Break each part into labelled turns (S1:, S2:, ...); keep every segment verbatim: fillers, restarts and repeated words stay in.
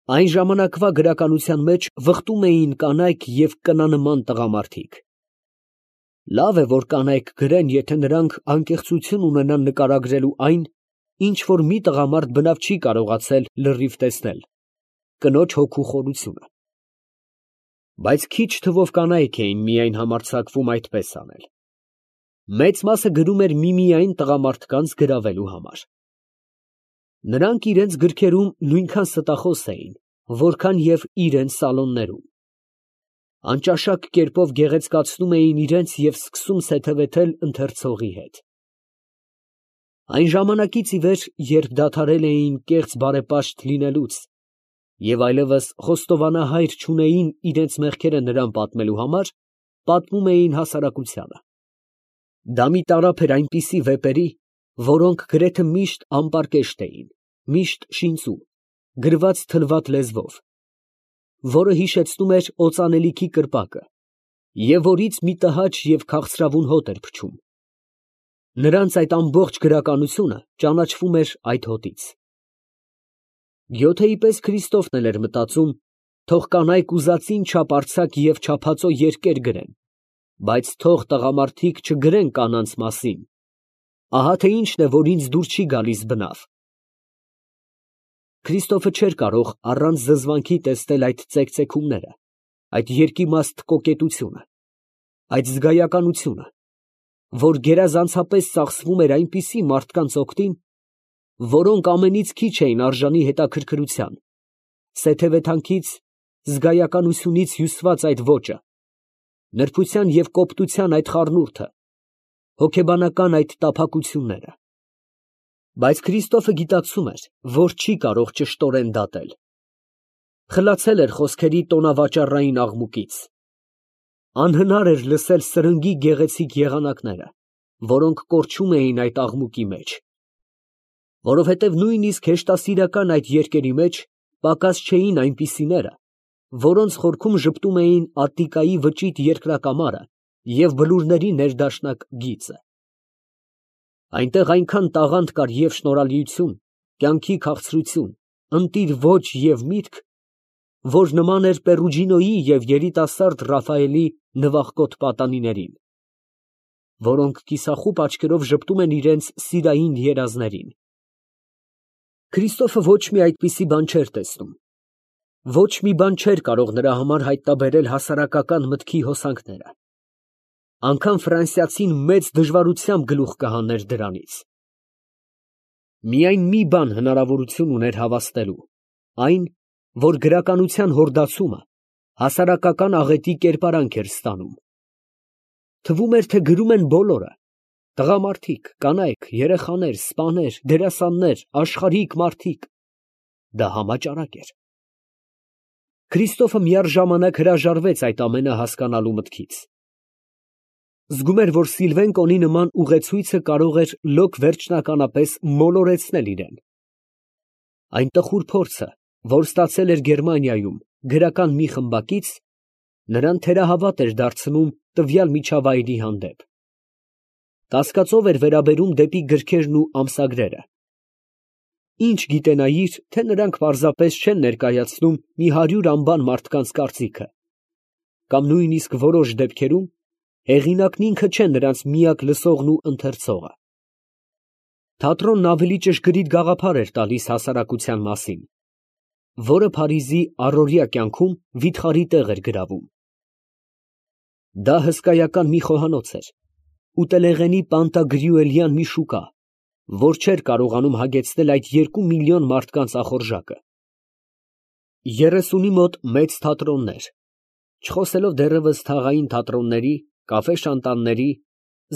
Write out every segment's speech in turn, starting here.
S1: Այն ժամանակվա գրականության մեջ վխտում էին կանայք և կնանման տղամարդիկ։ Լավ է, որ կանայք գրեն, եթե նրանք անկեղծություն ունենան նկարագրելու այն, ինչ որ մի տղամարդ բնավ չի կարողացել լրիվ տեսնել, կնոջ հոգու խորությունը։ Բայց քիչ թվով կանայք էին միայն համարձակվում այդպես անել։ Մեծ մասը գրում էր միմիայն տղամարդկանց գրավելու համար։ Նրանք իրենց գրքերում նույնքան ստախոս էին, որքան և իրենց սալոններում։ Անճաշակ կերպով գեղեցկացնում էին իրենց և սկսում սեթևեթել ընթերցողի հետ։ Այն ժամանակից ի վեր, երբ դադարել էին կեղծ բարեպաշտ լինելուց և այլևս խոստովանահայր չունեին իրենց մեղքերը նրան պատմելու համար, պատմում էին հասարակությանը։ Դա մի տարափ էր այնպիսի վեպերի, որոնք գրեթե միշտ անպարկեշտ էին, միշտ շինծու, գրված թլված լեզվով, որը հիշեցնում էր օծանելիքի կրպակը, և որից մի տհաճ և քաղցրավուն հոտ էր փչում։ Նրանց այդ ամբողջ գրականությունը ճանաչվում էր այդ հոտից։ Գյոթեի պես Քրիստոֆն էլ էր մտածում, թող կանայք ուզածին չափ արձակ և չափածո երկեր գրեն, բայց թող տղամարդիկ չգրեն կանանց մասին, ահա թե ինչն է, որ ինձ դուր չի գալիս բնավ։ Քրիստոֆը չէր կարող առանց զզվանքի տեսնել այդ ծեքծեքումները, այդ երկիմաստ կոկետությունը, այդ զգայականությունը, որ գերազանցապես ծախսվում էր այնպիսի մարդկանց օգտին, որոնք ամենից քիչ էին արժանի հետաքրքրության, սեթևեթանքից, զգայականությունից հյուսված այդ ոճը, նրբության և կոպտության այդ խառնուրդը, հոգեբանական այդ տափակությունները։ Բայց Քրիստոֆը գիտակցում էր, որ չի կարող ճշտորեն դատել։ Խլացել էր խոսքերի տոնավաճառային աղմուկից։ Անհնար էր լսել սրնգի գեղեցիկ եղանակները, որոնք կորչում էին այդ աղմուկի մեջ, որովհետև նույնիսկ հեշտասիրական այդ երկերի մեջ պակաս չէին այնպիսիները, որոնց խորքում ժպտում էին Ատտիկայի վճիտ երկրակամարը և բլուրների ներդաշնակ գիծը։ Այնտեղ այնքան տաղանդ կար և շնորհալիություն, կյանքի քաղցրություն, ընտիր ոճ և միտք, որ նման էր Պերուջինոյի և երիտասարդ Ռաֆայելի նվախկոտ պատանիներին, որոնք կիսախուպ աչքերով ժպտում են իրենց սիրային երազներին։ Քրիստոֆը ոչ մի այդպիսի բան չէր տեսնում։ Ոչ մի բան չէր կարող նրա համար հայտնաբերել հասարակական մտքի հոսանքները։ Անգամ ֆրանսիացին մեծ դժվարությամբ գլուխ կհաներ դրանից։ Միայն մի բան հնարավորություն ուներ հավաստելու, այն, որ գրականության հորդացումը հասարակական աղետի կերպարանք էր ստանում։ Թվում էր, թե գրում են բոլորը, տղամարդիկ, կանայք, երեխաներ, սպաներ, դերասաններ, աշխարհիկ մարդիկ։ Դա համաճարակ էր։ Քրիստոֆը միառժամանակ հրաժարվեց այդ ամենը հասկանալու մտքից։ Զգում էր, որ Սիլվեն Կոնի նման ուղեցույցը կարող էր լոկ վերջնականապես մոլորեցնել իրեն։ Այն տխուր փորձը, որ ստացել էր Գերմանիայում գրական մի խմբակից, նրան թերահավատ էր դարձնում տվյալ միջավայրի հանդեպ։ Կասկածով էր վերաբերում դեպի գրքերն ու ամսագրերը։ Ինչ գիտենայիր, թե նրանք պարզապես չեն ներկայացնում մի հարյուր անբան մարդկանց կարծիքը, կամ նույնիսկ որոշ դեպքերում հեղինակն ինքը չէ նրանց միակ լսողն ու ընթերցողը։ Թատրոնն ավելի ճշգրիտ գաղափար էր տալիս հասարակության մասին, որը Փարիզի առօրյա կյանքում վիթխարի տեղ էր գրավում։ Դա հսկայական մի խոհանոց էր, ուտելեղենի պանտագրյուելյան մի շուկա, որ չէր կարողանում հագեցնել այդ երկու միլիոն մարդկանց ախորժակը։ Երեսունի մոտ մեծ թատրոններ, չխոսելով դեռևս թաղային թատրոնների, կաֆե֊շանտանների,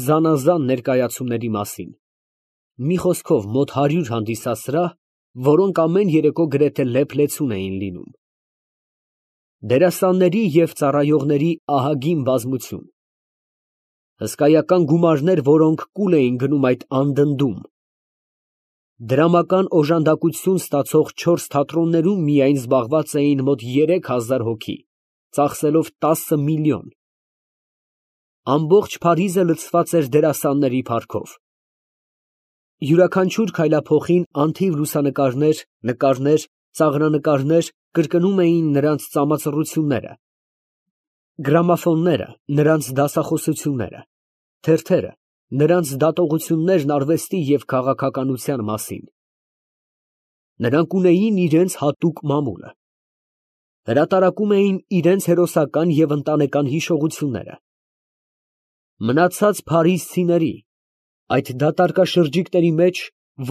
S1: զանազան ներկայացումների մասին, մի խոսքով մոտ հարյուր հանդիսասրահ, որոնք ամեն երեկո գրեթե լեփ֊լեցուն էին լինում։ Դերասանների և ծառայողների ահագին բազմություն։ Հսկայական գումարներ, որոնք կուլ էին գնում այդ անդնդում։ Դրամական օժանդակություն ստացող չորս թատրոններում միայն զբաղված էին մոտ երեք հազար հոգի, ծախսելով տասը միլիոն։ Ամբողջ Փարիզը լցված էր դերասանների փառքով։ Յուրաքանչյուր քայլափոխին անթիվ լուսանկարներ, նկարներ ծաղրանկարներ կրկնում էին նրանց ծամածռությունները, գրամոֆոնները նրանց դասախոսությունները, թերթերը նրանց դատողություններն արվեստի և քաղաքականության մասին։ Նրանք ունեին իրենց հատուկ մամուլը, հրատարակում էին իրենց հերոսական և ընտանեկան հիշողությունները։ Մնացած փարիզցիների, այդ դատարկաշրջիկների մեջ,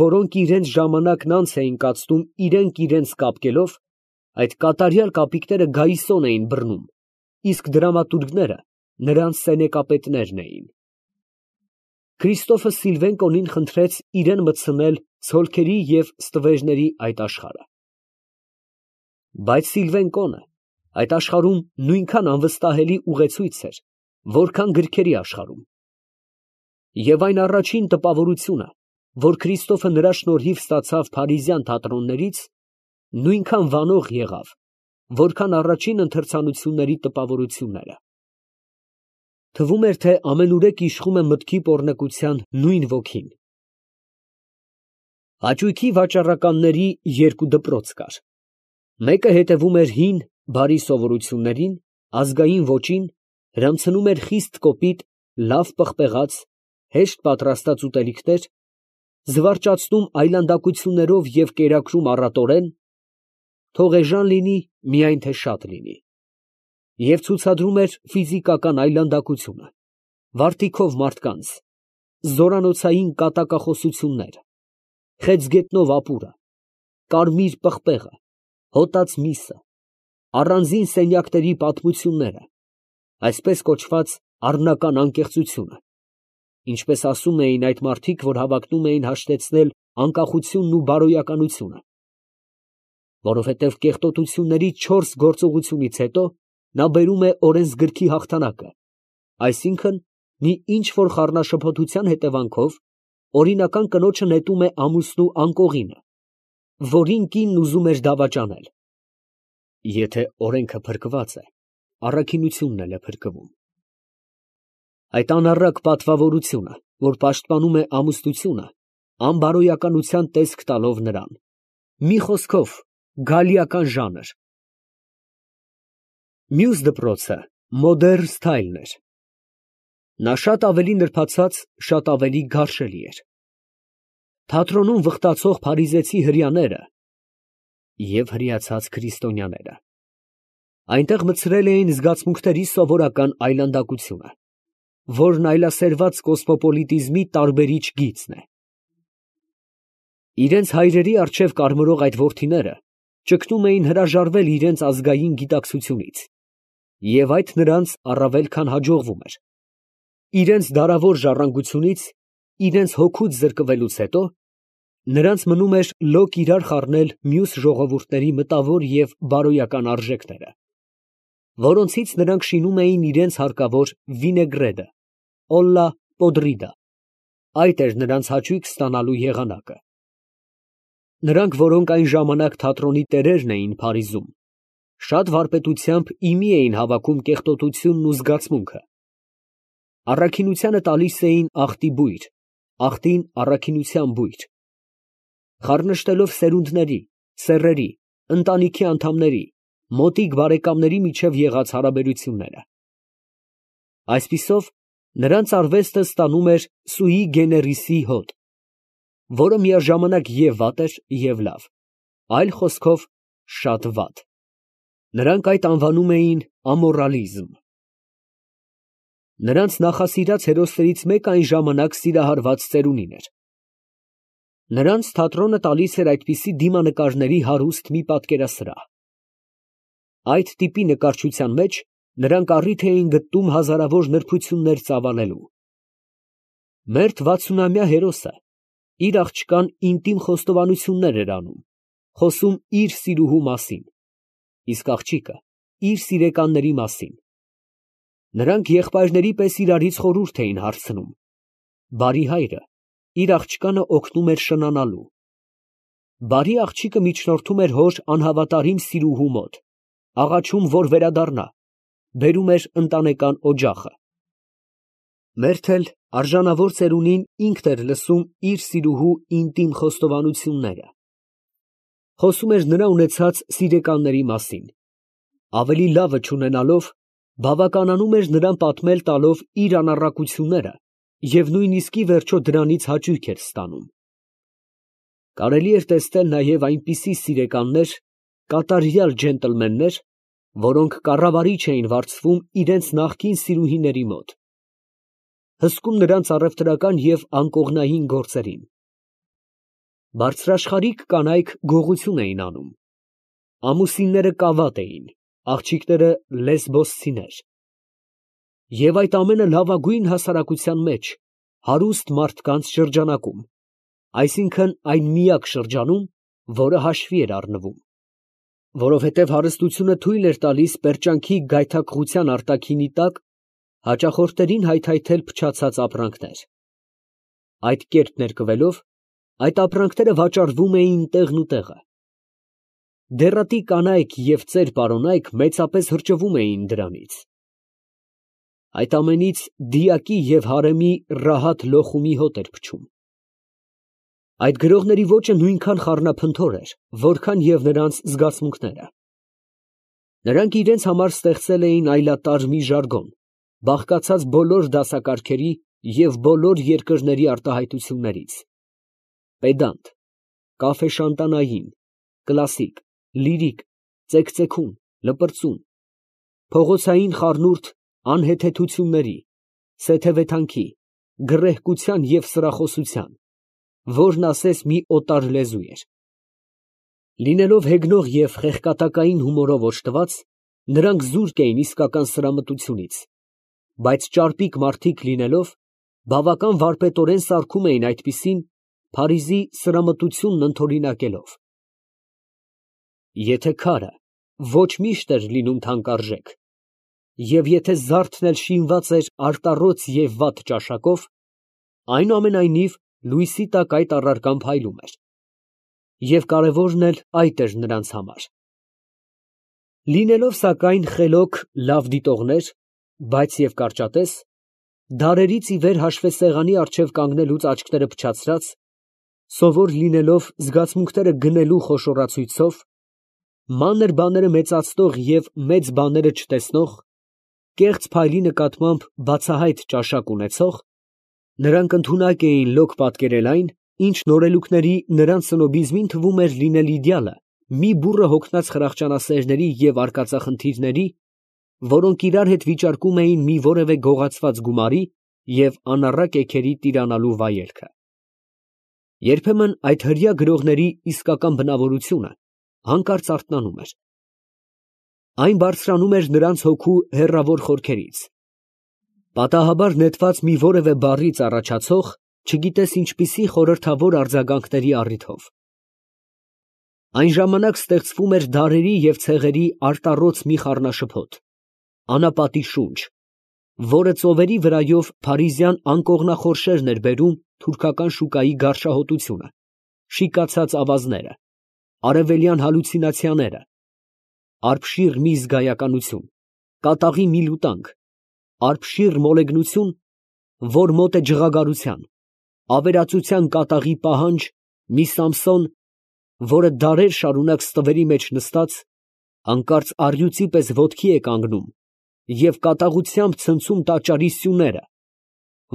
S1: որոնք իրենց ժամանակն անց էին կացնում իրենք իրենց կապկելով, այդ կատարյալ կապիկները գայիսոն էին բռնում, իսկ դրամատուրգները նրանց սենեկապետներն էին։ Քրիստոֆը Սիլվենկոնին խնդրեց իրան մտցնել ցոլքերի և ստվերների այդ աշխարհը։ Բայց Սիլվենկոնը այդ աշխարհում նույնքան անվստահելի ուղեցույց էր, որքան գրքերի աշխարհում։ Եվ այն առաջին տպավորությունը, որ Քրիստոֆը նրա շնորհիվ ստացավ փարիզյան թատրոններից, նույնքան վանող եղավ, որքան առաջին ընթերցանությունների տպավորությունները։ Թվում էր, թե ամենուրեք իշխում է մտքի պոռնկության նույն ոգին։ Հաճույքի վաճառականների երկու դպրոց կար. մեկը հետևում էր հին, բարի սովորություններին, ազգային ոճին, հրամցնում էր խիստ կոպիտ, լավ պղպեղած, հեշտ պատրաստած ուտելիքներ, զվարճացնում այլանդակություններով և կերակրում առատորեն, թող էժան լինի, միայն թե շատ լինի, և ցուցադրում էր ֆիզիկական այլանդակությունը, վարտիքով մարդկանց, զորանոցային կատակախոսություններ, խեցգետնով ապուրը, կարմիր պղպեղը, հոտած միսը, առանձին սենյակների պատմությունները, այսպես կոչված առնական անկեղծությունը, ինչպես ասում էին այդ մարդիկ, որ հավակնում էին հաշտեցնել անկախությունն ու բարոյականությունը, որովհետև կեղտոտությունների չորս գործողությունից հետո նա բերում է օրենսգրքի հաղթանակը, այսինքն մի ինչ֊որ խառնաշփոթության հետևանքով օրինական կնոջը նետում է ամուսնու անկողինը, որին կինն ուզում էր դավաճանել։ Եթե օրենքը փրկված է, առաքինությունն էլ է փրկվում։ Այդ անառակ պատվավորությունը, որ պաշտպանում է ամուսնությունը, անբարոյականության տեսք տալով նրան, մի խոսքով, գալիական ժանր։ Մյուս դպրոցը մոդեռն սթայլն էր։ Նա շատ ավելի նրբացած, շատ ավելի գարշելի էր։ Թատրոնում վխտացող փարիզեցի հրեաները և հրեացած քրիստոնյաները այնտեղ մտցրել էին զգացմունքների սովորական այլանդակությունը, որն այլասերված կոսմոպոլիտիզմի տարբերիչ գիծն է։ Իրենց հայրերի առջև կարմրող այդ որդիները ճգնում էին հրաժարվել իրենց ազգային գիտակցությունից, և այդ նրանց առավել քան հաջողվում էր։ Իրենց դարավոր ժառանգությունից, իրենց հոգուց զրկվելուց հետո, նրանց մնում էր լոկ իրար խառնել մյուս ժողովուրդների մտավոր և բարոյական արժեքները, որոնցից նրանք շինում էին իրենց հարկավոր վինեգրետը, օլլա պոդրիդա, այդ էր նրանց հաճույք ստանալու եղանակը։ Նրանք, որոնք այն ժամանակ թատրոնի տերերն էին Փարիզում, շատ վարպետությամբ ի մի էին հավաքում կեղտոտությունն ու զգացմունքը։ Առաքինությանը տալիս էին աղտի բույր, աղտին առաքինության բույր, խառնշտելով սերունդների, սեռերի, ընտանիքի անդամների, մոտիկ բարեկամների միջև եղած հարաբերությունները։ Այսպիսով, նրանց արվեստը ստանում էր սուի գեներիսի հոտ, որը միաժամանակ և վատ էր, և լավ, այլ խոսքով, շատ վատ։ Նրանք այդ անվանում էին ամորալիզմ։ Նրանց նախասիրած հերոսներից մեկը այն ժամանակ սիրահարված ծերունին էր։ Նրանց թատրոնը տալիս էր այդպիսի դիմանկարների հարուստ մի պատկերասրահ։ Այդ տիպի նկարչության մեջ նրանք առիթ էին գտնում հազարավոր նրբություններ ծավալելու։ Մերթ վաթսունամյա հերոսը իր աղջկան ինտիմ խոստովանություններ էր անում, խոսում իր սիրուհու մասին, իսկ աղջիկը իր սիրեկանների մասին։ Նրանք եղբայրների պես իրարից խորհուրդ էին հարցնում։ Բարի հայրը իր աղջկանը օգնում էր շնանալու։ Բարի աղջիկը միջնորդում էր հոր անհավատարիմ սիրուհու մոտ, աղաչում, որ վերադառնա, բերում էր ընտանեկան օջախը։ Մերթ էլ արժանավոր ծերունին ինքն էր լսում իր սիրուհու ինտիմ խոստովանությունները։ Խոսում էր նրա ունեցած սիրեկանների մասին, ավելի լավը չունենալով, բավականանում էր նրան պատմել տալով իր անառակությունները և նույնիսկ ի վերջո դրանից հաճույք էր ստանում։ Կարելի էր տեսնել նաև այնպիսի սիրեկաններ, կատարյալ ջենտլմեններ, որոնք կառավարիչ էին վարձվում իրենց նախկին սիրուհիների մոտ, հսկում նրանց առևտրական և անկողնային գործերին։ Բարձրաշխարհիկ կանայք գողություն էին անում, ամուսինները կավատ էին, աղջիկները լեսբոսցիներ, և այդ ամենը լավագույն հասարակության մեջ, հարուստ մարդկանց շրջանակում, այսինքն այն միակ շրջանում, որը հաշվի էր առնվում, որովհետև հարստությունը թույլ էր տալիս պերճանքի գայթակղության արտաքինի տակ հաճախորդներին հայթայթել փչացած ապրանքներ։ Այդ կերպ ներկվելով, այդ ապրանքները վաճառվում էին տեղնուտեղը։ Դեռատի կանայք և ծեր պարոնայք մեծապես հրճվում էին դրանից։ Այդ ամենից դիակի և հարեմի ռահատ լոխումի հոտ էր փչում։ Այդ գրողների ոճը նույնքան խառնափնթոր էր, որքան և նրանց զգացմունքները։ Նրանք իրենց համար ստեղծել էին այլատար մի ժարգոն, բաղկացած բոլոր դասակարգերի և բոլոր երկրների արտահայտություններից. պեդանտ, կաֆեշանտանային, կլասիկ, լիրիկ, ծեքծեքուն, լպրծուն, փողոցային խառնուրդ անհեթեթությունների, սեթևեթանքի, գռեհկության և սրախոսության, որն ասես մի օտար լեզու էր։ Լինելով հեգնող և խեղկատակային հումորով օժտված, նրանք զուրկ էին իսկական սրամտությունից, բայց ճարպիկ մարդիկ լինելով, բավական վարպետորեն սարքում էին այդպիսին, Փարիզի սրամտությունն ընդօրինակելով։ Եթե քարը ոչ միշտ էր լինում թանկարժեք, և եթե զարդն էլ շինված էր արտառոց և վատ ճաշակով, այնուամենայնիվ լույսի տակ այդ առարկան փայլում էր, և կարևորն էլ այդ էր նրանց համար։ Լինելով, սակայն, խելոք լավ դիտողներ, բայց և կարճատես, դարերից ի վեր հաշվեսեղանի առջև կանգնելուց աչքերը փչացրած, սովոր լինելով զգացմունքները գնելու խոշորացույցով, մանր բաները մեծացնող և մեծ բաները չտեսնող, կեղծ փայլի նկատմամբ բացահայտ ճաշակ ունեցող, նրանք ընդունակ էին լոկ պատկերել այն, ինչ նորելուկների նրանց սնոբիզմին թվում էր լինել իդեալը մի բուռը հոգնած խրախճանասերների և արկածախնդիրների, որոնք իրար հետ վիճարկում էին մի որևէ գողացված գումարի և անառակ էգերի տիրանալու վայելքը։ Երբեմն այդ հրեա գրողների իսկական բնավորությունը հանկարծ արթնանում էր։ Այն բարձրանում էր նրանց հոգու հեռավոր խորքերից, պատահաբար նետված մի որևէ բառից առաջացող, չգիտես ինչպիսի խորհրդավոր արձագանքների առիթով։ Այն ժամանակ ստեղծվում էր դարերի և ցեղերի արտառոց մի խառնաշփոթ, անապատի շունչ, որը ծովերի վրայով փարիզյան անկողնախորշերն էր բերում թուրքական շուկայի գարշահոտությունը, շիկացած ավազները, արևելյան հալյուցինացիաները, արբշիռ մի զգայականություն, կատաղի մի լուտանք, արբշիռ մոլեգնություն, որ մոտ է ջղագարության, ավերածության կատաղի պահանջ, մի Սամսոն, որը դարեր շարունակ ստվերի մեջ նստած, հանկարծ առյուծի պես ոտքի է կանգնում և կատաղությամբ ցնցում տաճարի սյուները,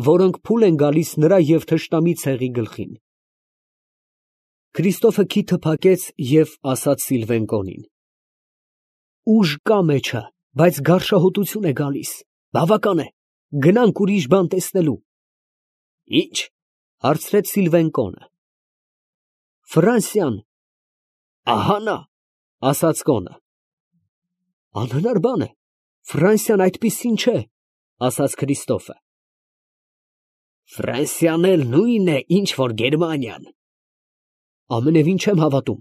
S1: որոնք փուլ են գալիս նրա և թշնամի ցեղի գլխին։ Քրիստոֆը քիթը փակեց և ասաց Սիլվենկոնին. «Ուժ կա մեջը, բայց գարշահոտություն է գալիս, բավական է, գնանք ուրիշ բան տեսնելու»։ ֊ Ի՞նչ, ֊ հարցրեց Սիլվենկոնը։ ֊ Ֆրանսիան։ ֊ Ահա նա, ֊ ասաց կոնը։ ֊ Անհնար բան է, Ֆրանսիան այդպիսին չէ, ֊ ասաց Քրիստոֆը։ ֊ Ֆրանսիան էլ նույնն է, ինչ որ Գերմանիան։ ֊ Ամենևին չեմ հավատում,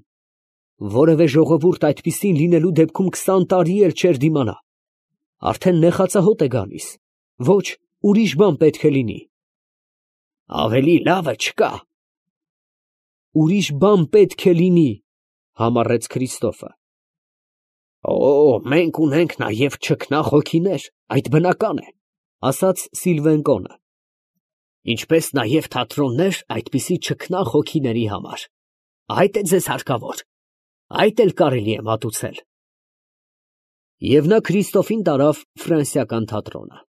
S1: որևէ ժողովուրդ այդպիսին լինելու դեպքում քսան տարի էլ չէր դիմանա, արդեն նեխածահոտ է գալիս, ոչ, ուրիշ բան պետք է լինի։ ֊ Ավելի լավը չկա։ ֊ Ուրիշ բան պետք է լինի, ֊ համառեց Քրիստոֆը։ ֊ Օ, մենք ունենք նաև չքնաղ հոգիներ, այդ բնական է, ֊ ասաց Սիլվենկոնը, ֊ ինչպես նաև թատրոններ այդպիսի չքնաղ հոգիների համար, այդ է ձեզ հարկավոր։ Այդ էլ կարելի է մատուցել։ Եվ նա Քրիստոֆին տարավ ֆրանսիական թատրոնը։